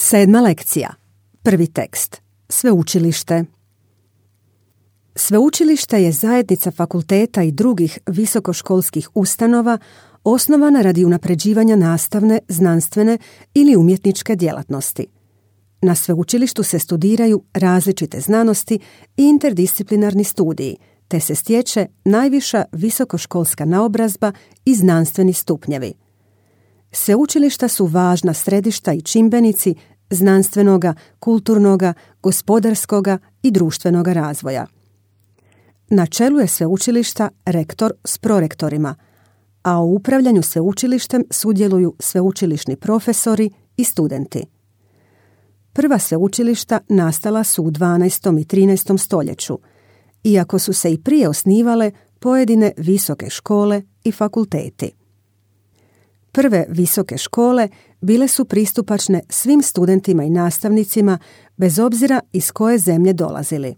7. lekcija. Prvi tekst. Sveučilište. Sveučilište je zajednica fakulteta i drugih visokoškolskih ustanova osnovana radi unapređivanja nastavne, znanstvene ili umjetničke djelatnosti. Na sveučilištu se studiraju različite znanosti i interdisciplinarni studiji, te se stječe najviša visokoškolska naobrazba i znanstveni stupnjevi. Sveučilišta su važna središta i čimbenici znanstvenoga, kulturnoga, gospodarskoga i društvenoga razvoja. Na čelu je sveučilišta rektor s prorektorima, a u upravljanju sveučilištem sudjeluju sveučilišni profesori i studenti. Prva sveučilišta nastala su u 12. i 13. stoljeću, iako su se i prije osnivale pojedine visoke škole i fakulteti. Prve visoke škole bile su pristupačne svim studentima i nastavnicima bez obzira iz koje zemlje dolazili.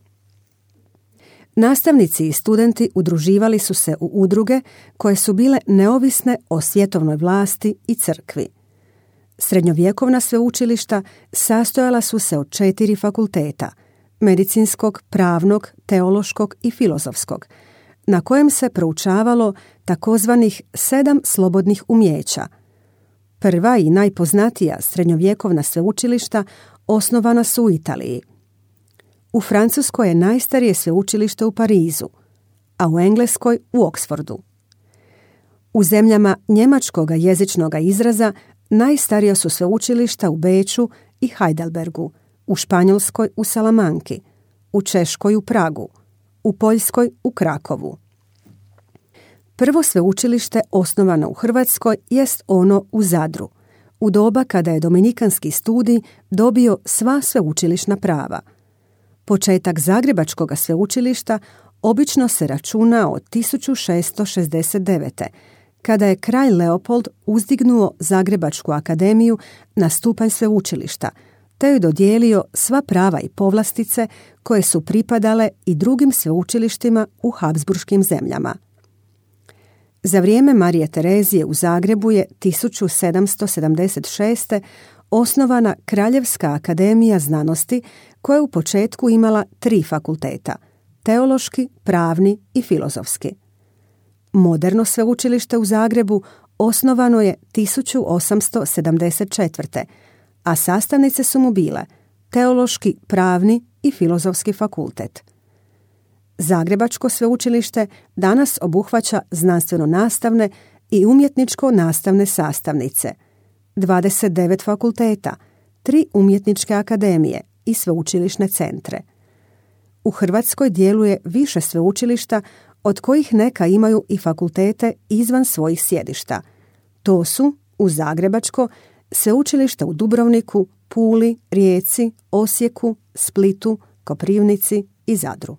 Nastavnici i studenti udruživali su se u udruge koje su bile neovisne o svjetovnoj vlasti i crkvi. Srednjovjekovna sveučilišta sastojala su se od 4 fakulteta, medicinskog, pravnog, teološkog i filozofskog, na kojem se proučavalo takozvanih 7 slobodnih umjeća. Prva i najpoznatija srednjovjekovna sveučilišta osnovana su u Italiji. U Francuskoj je najstarije sveučilište u Parizu, a u Engleskoj u Oksfordu. U zemljama njemačkoga jezičnoga izraza najstarija su sveučilišta u Beču i Heidelbergu, u Španjolskoj u Salamanki, u Češkoj u Pragu, u Poljskoj u Krakovu. Prvo sveučilište osnovano u Hrvatskoj jest ono u Zadru, u doba kada je dominikanski studij dobio sva sveučilišna prava. Početak Zagrebačkog sveučilišta obično se računa od 1669. kada je kralj Leopold uzdignuo Zagrebačku akademiju na stupanj sveučilišta, te joj dodijelio sva prava i povlastice koje su pripadale i drugim sveučilištima u Habsburškim zemljama. Za vrijeme Marije Terezije u Zagrebu je 1776. osnovana Kraljevska akademija znanosti koja je u početku imala 3 fakulteta, teološki, pravni i filozofski. Moderno sveučilište u Zagrebu osnovano je 1874. a sastavnice su mu bile teološki, pravni i filozofski fakultet. Zagrebačko sveučilište danas obuhvaća znanstveno-nastavne i umjetničko-nastavne sastavnice, 29 fakulteta, 3 umjetničke akademije i sveučilišne centre. U Hrvatskoj djeluje više sveučilišta, od kojih neka imaju i fakultete izvan svojih sjedišta. To su u Zagrebačko sveučilišta u Dubrovniku, Puli, Rijeci, Osijeku, Splitu, Koprivnici i Zadru.